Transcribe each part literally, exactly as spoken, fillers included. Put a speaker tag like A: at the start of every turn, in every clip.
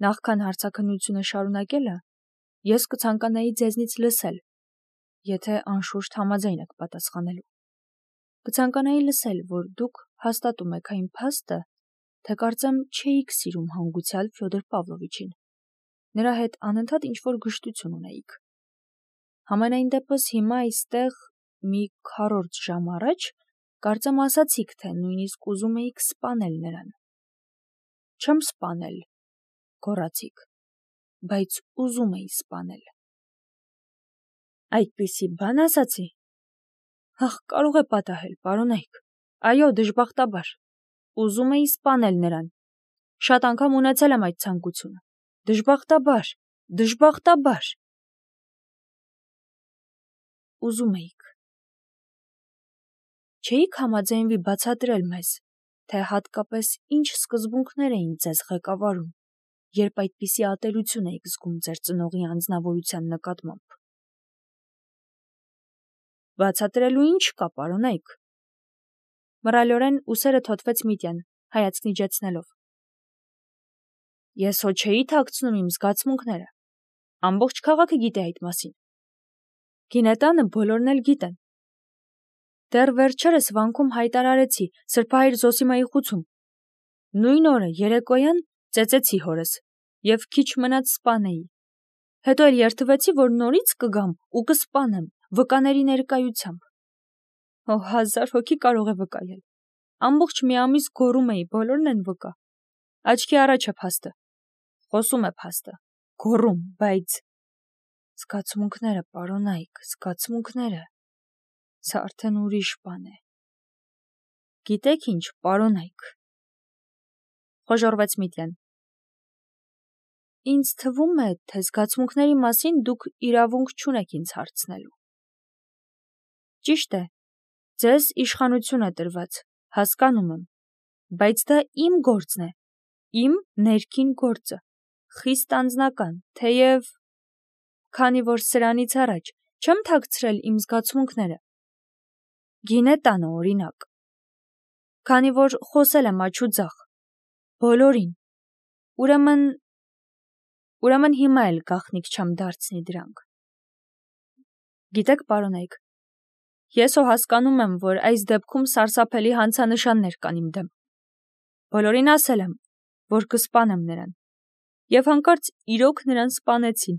A: Նախքան հարցաքննությունը շարունակելը, ես կցանկանայի ձեզնից լսել, եթե անշուշտ համաձայն եք պատասխանելու։ Կցանկանայի լսել, որ դուք հաստատում եք այն փաստը, թե կարծեմ չէիք սիրում հանգուցյալ Ֆյոդոր Պավլովիչին, նրա հետ անընդհատ ինչ-որ գժտություն ունեիք։ Համենայն դեպս հիմա այստեղ մի քառորդ ժամ առաջ կարծեմ ասացիք, թե նույնիսկ ուզում էիք սպանել նրան։ Չեմ սպանել, գոռացիք, բայց ուզում էի սպանել։ Այդպիսի բան ասացի։ Ահ, կարող է պատահել, պարոնայք։ Այո, դժբախտաբար։ Ուզում էի սպանել նրան։ Շատ անգամ ունեցել եմ այդ ցանկությունը։ Դժբախտաբար, դժբախտաբար։ Ուզում էիք։ Չէիք համաձայնվի բացատրել մեզ, թե հատկապես ինչ սկզբունքներ էին ձեզ ղեկավարում, երբ այդպիսի ատելություն էիք զգում ձեր ծնողի անձնավորության նկատմամբ։ Բացատրելու ինչ կա, պարոնայք։ Մռայլորեն ուսերը թոթվեց Միտյան, հայացքն իջեցնելով։ Ես հո չէի թաքցնում իմ զգացմունքները։ Ամբողջ քաղաքը գիտի այդ մասին։ Գինետանը բոլորն էլ գիտեն։ Դեռ վերջերս վանքում հայտարարեցի Սրբահայր Զոսիմայի խուցում։ Նույն օրը երեկոյան ծեծեցի հորս և քիչ մնաց սպանեի։ Հետո էլ երդվեցի, որ նորից կգամ ու կսպանեմ վկաների ներկայությամբ։ Օ, հազար հոգի կարող է վկայել։ Ամբողջ մի ամիս գոռում էի, բոլորն են վկա։ Աչքի առաջ է փաստը։ Խոսում է փաստը։ Գոռում, բայց զգացմունքները, պարոնայք, զգացմունքները։ Սա արդեն ուրիշ բան է։ Գիտեք ինչ, պարոնայք, խոժոռվեց Միտյան։ Ինձ թվում է, թե զգացմունքների մասին դուք իրավունք չունեք ինձ հարցնելու։ Ճիշտ է, ձեզ իշխանություն է տրված, հասկանում եմ, բայց դա իմ գործն է, իմ ներքին գործը, խիստ անձնական, թեև, քանի որ սրանից առաջ չեմ թաքցրել իմ զգացմունքները։ Գինետանը օրինակ, քանի որ խոսել եմ աջ ու ձախ, բոլորին, ուրեմն, ուրեմն հիմա էլ գաղտնիք չեմ դարձնի դրանք։ Գիտեք, պարոնայք, ես հո հասկանում եմ, որ այս դեպքում սարսափելի հանցանշաններ կան իմ դեմ։ Բոլորին ասել եմ, որ կսպանեմ նրան, և հանկարծ իրոք նրան սպանեցին։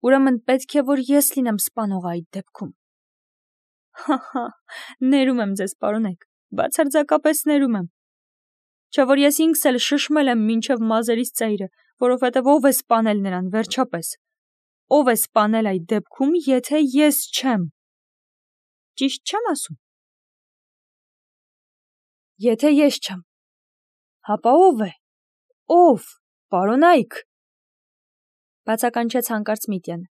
A: Ուրեմն պետք է, որ ես լինեմ սպանողը այդ դեպքում։ Հա-հա, ներում եմ ձեզ, պարոնայք, բացարձակապես ներում եմ։ Չէ որ ես ինքս էլ շշմել եմ մինչև մազերիս ծայրը, որովհետև ով է սպանել նրան, վերջապես։ Ով է սպանել այդ դեպքում, եթե ես չեմ։ Ճիշտ չեմ ասում։ Եթե ես չեմ, հապա ով է։ Ով, պարոնայք։ Բացականչեց հանկարծ Միտյանը։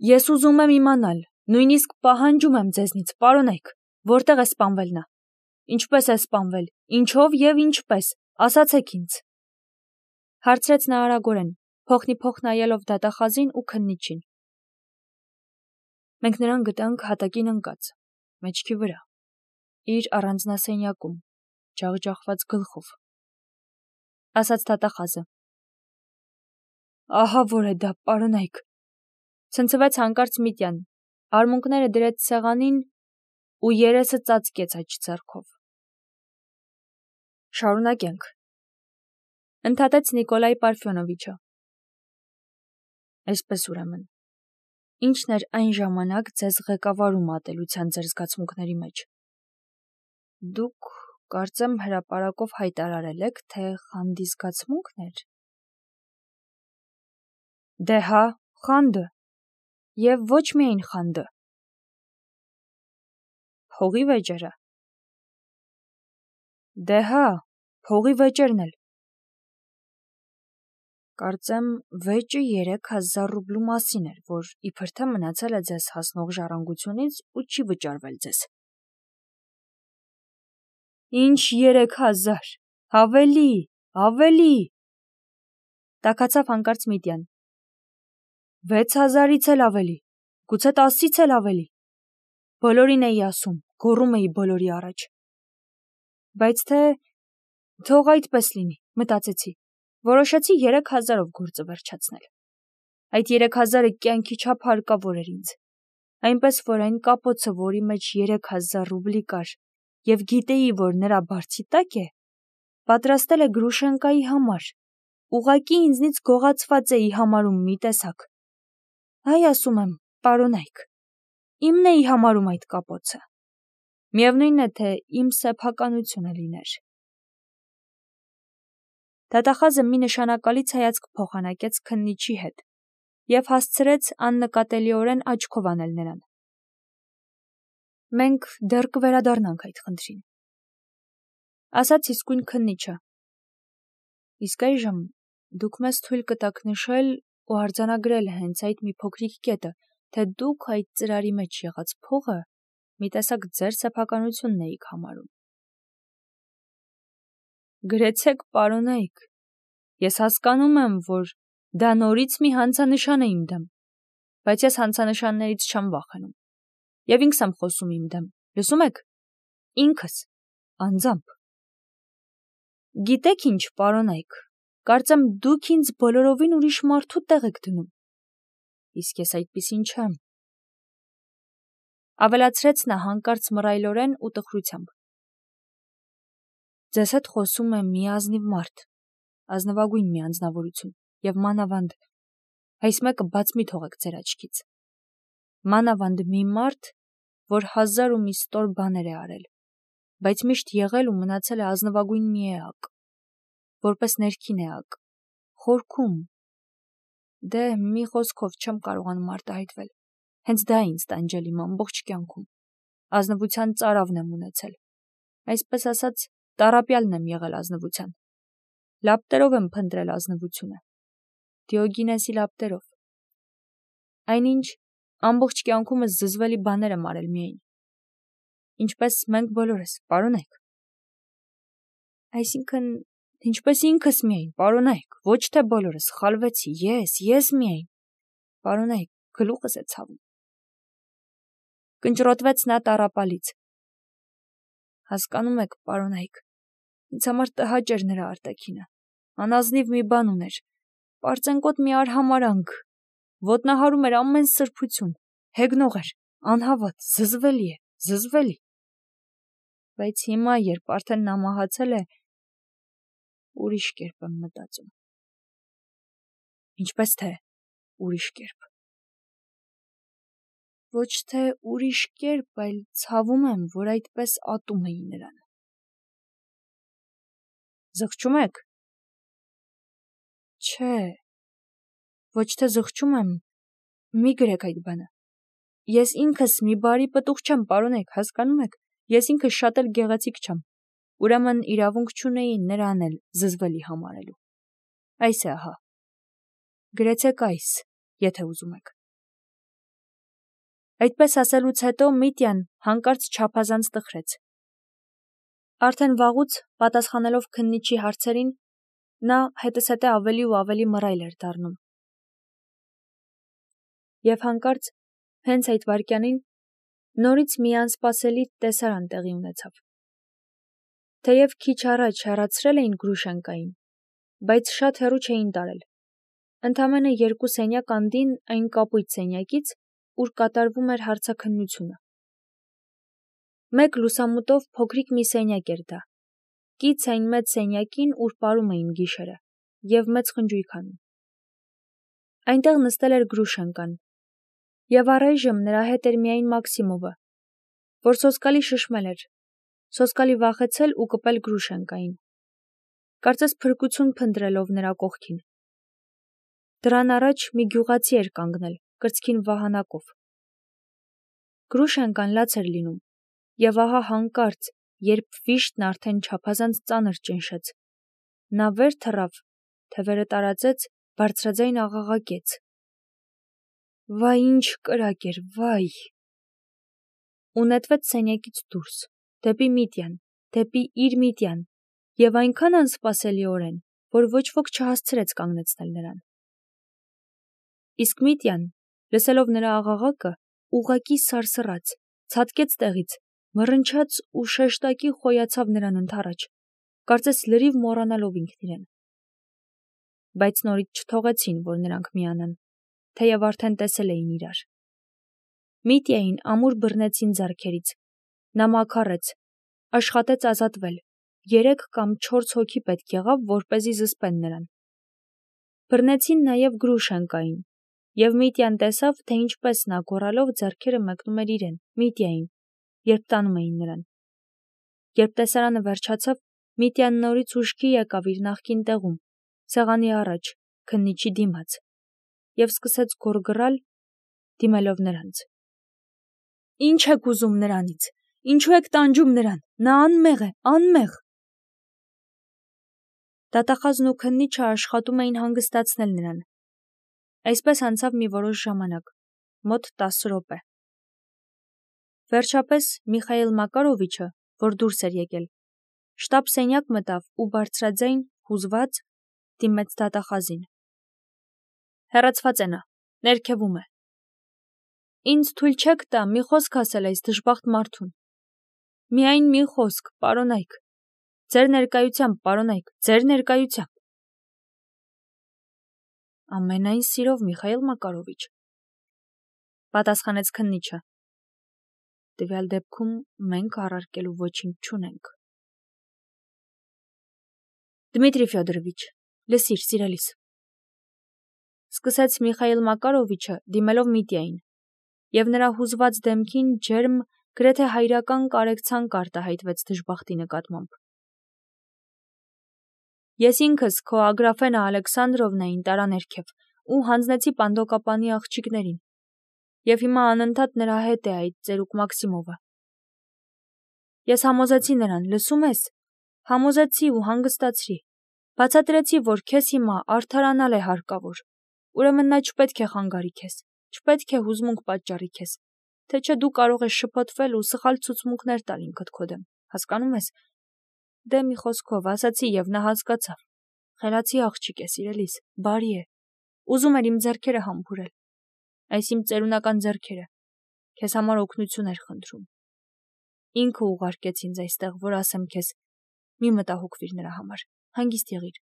A: Ես ուզում եմ իմանալ, նույնիսկ պահանջում եմ ձեզնից, պարոնայք, որտեղ է սպանվել նա։ Ինչպես է սպանվել, ինչով և ինչպես, ասացեք ինձ։ Հարցրեց նա արագորեն, փոխնիփոխ նայելով դատախազին ու քննիչին։ Մենք նրան գտանք հատակին ընկած, մեջքի վրա, իր առանձնասենյակում, ջախջախված գլխով, ասաց դատախազը։ Ահա որ է դա, պարոնայք, ցնցվեց հանկարծ Միտյան, արմունկները դրեց սեղանին ու երեսը ծածկեց աջ ձեռքով։ Շարունակենք, ընդհատեց Նիկոլայ Պարֆյոնովիչը։ Այսպես ուրեմն, ինչն էր այն ժամանակ ձեզ ղեկավարում ատելության ձեր զգացմունքների մեջ։ Դուք, կարծեմ, հրապարակով հայտարարել եք, թե խանդի զգացմունքն էր։ Դե հա, խանդը, և ոչ միայն խանդը։ Փողի վեճերը։ Դե հա, փողի վեճերն էլ։ Կարծեմ, վեճը երեք հազար ռուբլու մասին էր, որ իբր թե մնացել է ձեզ հասնող ժառանգությունից ու չի վճարվել ձեզ։ Ինչ երեք հազար, ավելի, ավելի, տաքացավ հանկարծ Միտյան։ Վեց հազարից էլ ավելի, գուցե տասից էլ ավելի։ Բոլորին էի ասում, գոռում էի բոլորի առաջ։ Բայց թե թող այդպես լինի, մտածեցի, Որոշեցի երեք հազարով գործը վերջացնել։ Այդ երեք հազարը կյանքի չափ հարկավոր էր ինձ, այնպես որ այն կապոցը, որի մեջ երեք հազար ռուբլի կար, և գիտեի, որ նրա բարձի տակ է, պատրաստել է Գրուշենկայի համար, ուղղակի ինձնից գողացված էի համարում մի տեսակ։ Այ ասում եմ, պարոնայք, իմն էի համարում այդ կապոցը։ Միևնույն է, թե իմ սեփականությունը լիներ։ Դատախազը մի նշանակալից հայացք փոխանակեց քննիչի հետ և հասցրեց աննկատելիորեն աչքով անել նրան։ Մենք դեռ կվերադառնանք այդ խնդրին, ասաց իսկույն քննիչը։ Իսկ այժմ դուք մեզ թույլ կտաք նշել ու արձանագրել հենց այդ մի փոքրիկ կետը, թե դուք այդ ծրարի մեջ եղած փողը մի տեսակ ձեր սեփականությունն էիք համարում։ Գրեցեք, պարոնայք, ես հասկանում եմ, որ դա նորից մի հանցանշան է իմ դեմ, բայց ես հանցանշաններից չեմ վախենում, և ինքս եմ խոսում իմ դեմ, լսում եք, ինքս, անձամբ։ Գիտեք ինչ, պարոնայք, կարծեմ դուք ինձ բոլորովին ուրիշ մարդու տեղ եք դնում, իսկ ես այդպիսին չեմ, ավելացրեց նա հանկարծ մռայլորեն ու տխրությամբ։ Ձեզ հետ խոսում է մի ազնիվ մարդ, ազնվագույն մի անձնավորություն, և մանավանդ, այս մեկը բաց մի թողեք ձեր աչքից, մանավանդ մի մարդ, որ հազար ու մի ստոր բաներ է արել, բայց միշտ եղել ու մնացել է ազնվագույն մի էակ, որպես ներքին էակ, խորքում, դե մի խոսքով չեմ կարողանում արտահայտվել, հենց դա է ինձ տանջել իմ ամբողջ կյանքում, ազնվության ծարավն եմ ունեցել, այսպես ասած, տառապյալն եմ եղել ազնվության, լապտերով եմ փնտրել ազնվությունը, Դիոգինեսի լապտերով, այնինչ ամբողջ կյանքումս զզվելի բաներ եմ արել միայն, ինչպես մենք բոլորս, պարոնայք, այսինքն, ինչպես ինքս միայն, պարոնայք, ոչ թե բոլորս, սխալվեցի, ես, ես միայն, պարոնայք, գլուխս է ցավում, կնճռոտվեց նա տառապալից, հասկանում եք, պարոնայք, ինձ համար տհաճ էր նրա արտաքինը, անազնիվ մի բան ուներ, պարծենկոտ մի արհամարանք, ոտնահարում էր ամեն սրբություն, հեգնող էր, անհավատ, զզվելի է, զզվելի, բայց հիմա, երբ արդեն նա մահացել է, ուրիշ կերպ եմ մտածում, ինչպես թե ուրիշ կերպ, ոչ թե ուրիշ կերպ, այլ ցավում եմ, որ այդպես ատում էի նրան, զղջում եք, չէ, ոչ թե զղջում եմ, մի գրեք այդ բանը, ես ինքս մի բարի պտուղ չեմ, պարոնայք, հասկանում եք, ես ինքս շատ էլ գեղեցիկ չեմ, ուրեմն իրավունք չունեի նրան էլ զզվելի համարելու, այս է ահա, գրեցեք այս, եթե ուզում եք։ Այդպես ասելուց հետո Միտյան հանկարծ չափազանց տխրեց։ Արդեն վաղուց, պատասխանելով քննիչի հարցերին, նա հետզհետե ավելի ու ավելի մռայլ էր դառնում։ Եվ հանկարծ, հենց այդ վայրկյանին, նորից մի անսպասելի տեսարան տեղի ունեցավ։ Թեև քիչ առաջ հեռացրել էին Գրուշենկային, բայց շատ հեռու չէին տարել։ Ընդամենը երկու սենյակ անդին այն կապույտ սենյակից, ուր կատարվում էր հարցաքննությունը։ Մեկ լուսամուտով փոքրիկ մի սենյակ էր դա, կից այն մեծ սենյակին, ուր պարում էին գիշերը, և մեծ խնջույք անում։ Այնտեղ նստել էր Գրուշենկան, և առայժմ նրա հետ էր միայն Մաքսիմովը, որ սոսկալի շշմել էր, սոսկալի վախեցել ու կպել Գրուշենկային, կարծես փրկություն փնտրելով նրա կողքին։ Դրան առաջ մի գյուղացի էր կանգնել, կրծքին վահանակով։ Գրուշենկան լաց էր լինում, և ահա հանկարծ, երբ վիշտն արդեն չափազանց ծանր ճնշեց, նա վեր թռավ, թևերը տարածեց, բարձրաձայն աղաղակեց. «Վայ, ինչ կրակ էր, վայ»։ Ու նետվեց սենյակից դուրս, դեպի Միտյան, դեպի իր Միտյան, և այնքան անսպասելիորեն, որ ոչ ոք չհասցրեց կանգնեցնել նրան։ Իսկ Միտյան, լսելով նրա աղաղակը, ուղղակի սարսռաց, ցատկեց տեղից, մռնչաց ու շեշտակի խոյացավ նրան ընդառաջ, կարծես լրիվ մոռանալով ինքն իրեն։ բայց նորից չթողեցին, որ նրանք միանան, թեև արդեն տեսել էին իրար։ Միտիային ամուր բռնեցին ձեռքերից, նա մաքարեց, աշխատեց ազատվել, երեք կամ չորս հոգի պետք եղավ, որպեսզի զսպեն նրան։ Բռնեցին նաև Գրուշենկային, և Միտյան տեսավ, թե ինչպես նա գոռալով ձեռքերը մեկնում էր իրեն, Միտիային, երբ տանում էին նրան։ Երբ տեսարանը վերջացավ, Միտյան նորից ուշքի եկավ իր նախկին տեղում, սեղանի առաջ, քննիչի դիմաց, և սկսեց գոռգռալ, դիմելով նրանց. «Ինչ եք ուզում նրանից, ինչու եք տանջում նրան, նա անմեղ է, անմեղ»։ Դատախազն ու քննիչը աշխատում էին հանգստացնել նրան։ Այսպես անցավ մի որոշ ժամանակ, մոտ տասը րոպե։ Վերջապես Միխայիլ Մակարովիչը, որ դուրս էր եկել, շտապ սենյակ մտավ ու բարձրաձայն, հուզված, դիմեց դատախազին. «Հեռացված է նա, ներքևում է»։ «Ինձ թույլ չեք տա մի խոսք ասել այս դժբախտ մարդուն»։ «Միայն մի խոսք, պարոնայք, ձեր ներկայությամբ, պարոնայք, ձեր ներկայությամբ»։ «Ամենայն սիրով, Միխայիլ Մակարովիչ», պատասխանեց քննիչը։ «Տվյալ դեպքում մենք առարկելու ոչինչ չունենք»։ «Դմիտրի Ֆյոդորովիչ, լսիր, սիրելիս», սկսեց Միխայիլ Մակարովիչը, դիմելով Միտիային, և նրա հուզված դեմքին ջերմ, գրեթե հայրական կարեկցանք արտահայտվեց դժբախտի նկատմամբ։ «Ես ինքս քո Ագրաֆենա Ալեքսանդրովնային տարա ներքև ու հանձնեցի Պանդոկապանի աղջիկներին, և հիմա անընդհատ նրա հետ է այդ ծերուկ Մաքսիմովը։ Ես համոզեցի նրան, լսում ես, համոզեցի ու հանգստացրի, բացատրեցի, որ քեզ հիմա արդարանալ է հարկավոր, ուրեմն նա չպետք է խանգարի քեզ, չպետք է հուզմունք պատճառի քեզ, թե չէ դու կարող ես շփոթվել ու սխալ ցուցմունքներ տալ ինքդ քո դեմ, հասկանում ես։ Դե մի խոսքով ասացի և նա հասկացավ, խելացի աղջիկ է, սիրելիս, բարի է, ուզում էր իմ ձեռքերը համբուրել, այս իմ ծերունական ձեռքերը, քեզ համար օգնություն էր խնդրում։ Ինքը ուղարկեց ինձ այստեղ, որ ասեմ քեզ, մի մտահոգվիր նրա համար, հանգիստ եղիր։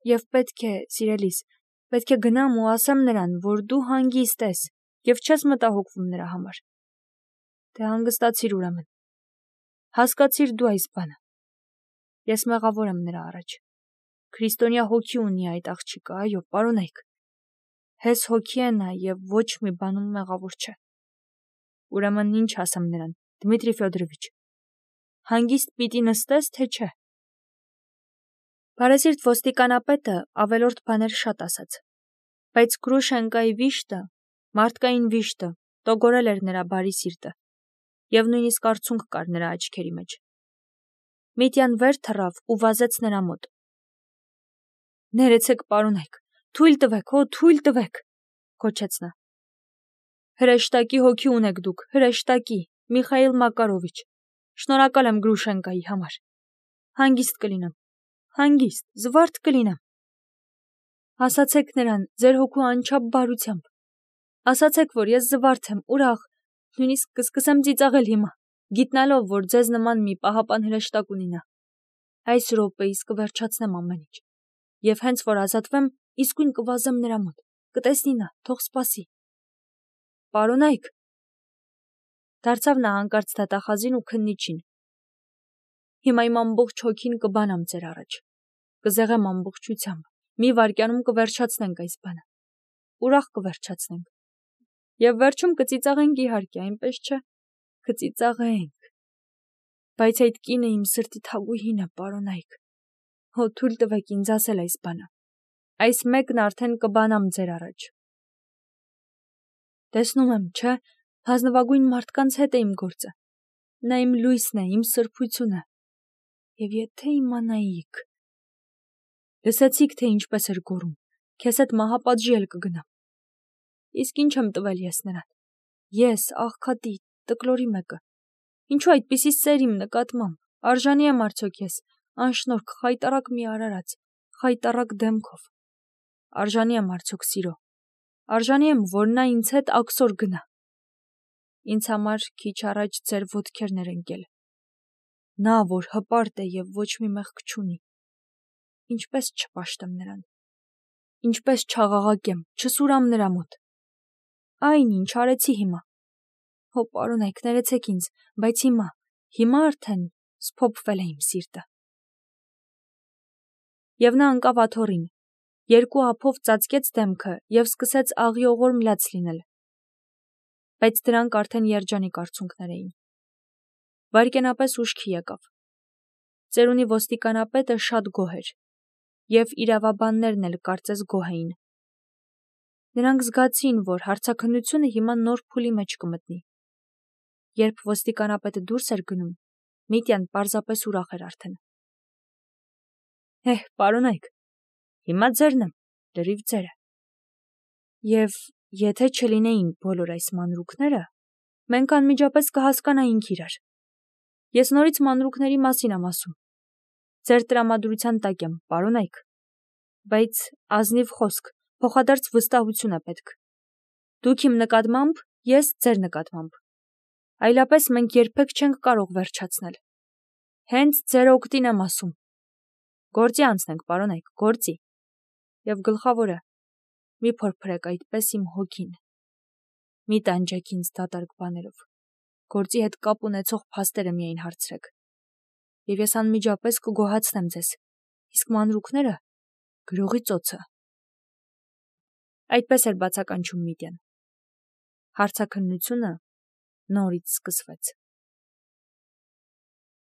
A: Եվ պետք է, սիրելիս, պետք է գնամ ու ասեմ նրան, որ դու հանգիստ ես և չես մտահոգվում նրա համար։ Դե հանգստացիր ուրեմն։ Հասկացիր դու այս բանը։ Ես մեղավոր եմ նրա առաջ։ Քրիստոնյա հոգի ունի այդ աղջիկը, այո, պարոնայք։ Հես հոգի է նա և ոչ մի բանում մեղավոր չէ։ Ուրեմն ինչ ասեմ նրան, Դմիտրի Ֆյոդորովիչ, հանգիստ պիտի նստես, թե չէ։ Բարեսիրտ ոստիկանապետը ավելորդ բաներ շատ ասաց, բայց Գրուշենկայի վիշտը, մարդկային վիշտը, տոգորել էր նրա բարի սիրտը, և նույնիսկ արցունք կար նրա աչքերի մեջ։ Միտյան վեր թռավ ու վազեց նրա մոտ։ «Ներեցեք, պարոնայք, թույլ տվեք, օ, թույլ տվեք», գոչեց նա։ «Հրեշտակի հոգի ունեք դուք, հրեշտակի, Միխայիլ Մակարովիչ, շնորհակալ եմ Գրուշենկայի համար։ Հանգիստ կլինեմ, հանգիստ, զվարթ կլինեմ։ Ասացեք նրան ձեր հոգու անչափ բարությամբ, ասացեք, որ ես զվարթ եմ, ուրախ, նույնիսկ կսկսեմ ծիծաղել հիմա, գիտնալով, որ ձեզ նման մի պահապան հրեշտակ ունի նա։ Այս րոպեիս կվերջացնեմ ամեն ինչ, և հենց որ ազատվեմ, իսկույն կվազեմ նրա մոտ, կտեսնի նա, թող սպասի։ Պարոնայք, դարձավ նա հանկարծ դատախազին ու քննիչին, հիմա իմ ամբողջ հոգին կբանամ ձեր առաջ, կզեղեմ ամբողջությամբ, մի վայրկյանում կվերջացնենք այս բանը, ուրախ կվերջացնենք, և վերջում կծիծաղենք իհարկե, այնպես չէ, կծիծաղենք, բայց այդ կինը իմ սրտի թագուհին է, պարոնայք, հո թույլ տվեք ինձ ասել այս բանը, այս մեկն արդեն կբանամ ձեր առաջ։ Տեսնում եմ, չէ, հանձնվագույն մարդկանց հետ է իմ գործը, նա իմ լույսն է, իմ սրբությունը, և եթե իմանայիք… Լսեցիք, թե ինչպես էր գոռում, քեզ հետ մահապատժի էլ կգնամ։ Իսկ ինչ եմ տվել ես նրան, ես, աղքատի, տկլորի մեկը, ինչու այդպիսի սեր իմ նկատմամբ, արժանի եմ արդյոք ես, անշնորհք, խայտառակ մի արարած, խայտառակ դեմքով, արժանի եմ արդյոք սիրո, արժանի եմ, որ նա ինձ հետ աքսոր գնա։ Ինձ համար քիչ առաջ ձեր ոտքերն էր ընկել, նա, որ հպարտ է և ոչ մի մեղք չունի, ինչպես չպաշտեմ նրան։ ինչպես չաղաղակեմ, չսուրամ նրա մոտ։ Այն ինչ արեցի հիմա։ Հո պարոնայք, ներեցեք ինձ, բայց հիմա, հիմա արդեն սփոփվել է իմ սիրտը։ Եվ նա ընկավ աթոռին, երկու ափով ծածկեց դեմքը և սկսեց աղիողոր մլաց լինել։ Բայց դրանք արդեն երջանիկ արցունքներ էին։ Վայրկենապես ուշքի եկավ։ Ծերունի ոստիկանապետը շատ գոհ էր, և իրավաբաններն էլ կարծես գոհ էին։ Նրանք զգացին, որ հարցաքննությունը հիմա նոր փուլի մեջ կմտնի։ Երբ ոստիկանապետը դուրս էր գնում, Միտյան պարզապես ուրախ էր արդեն։ Էհ, պարոնայք, հիմա ձերն եմ, լրիվ ձերը։ Եվ եթե չլինեին բոլոր այս մանրուքները, մենք անմիջապես կհասկանայինք իրար։ Ես նորից մանրուքների մասին եմ ասում։ Ձեր տրամադրության տակ եմ, պարոնայք, բայց ազնիվ խոսք, փոխադարձ վստահություն է պետք։ Դուք իմ նկատմամբ, ես ձեր նկատմամբ։ Այլապես մենք երբեք չենք կարող վերջացնել։ Հենց ձեր օգտին եմ ասում։ Գործի անցնենք, պարոնայք, գործի։ Եվ գլխավորը, մի փորփրեք այդպես իմ հոգին։ Մի տանջեք ինձ դատարկ բաներով։ Գործի հետ կապ ունեցող փաստերը միայն հարցրեք։ Եվ ես անմիջապես կգոհացնեմ ձեզ, իսկ մանրուքները գրողի ծոցը։ Այդպես էր բացականչում Միտյան։ Հարցաքննությունը նորից սկսվեց։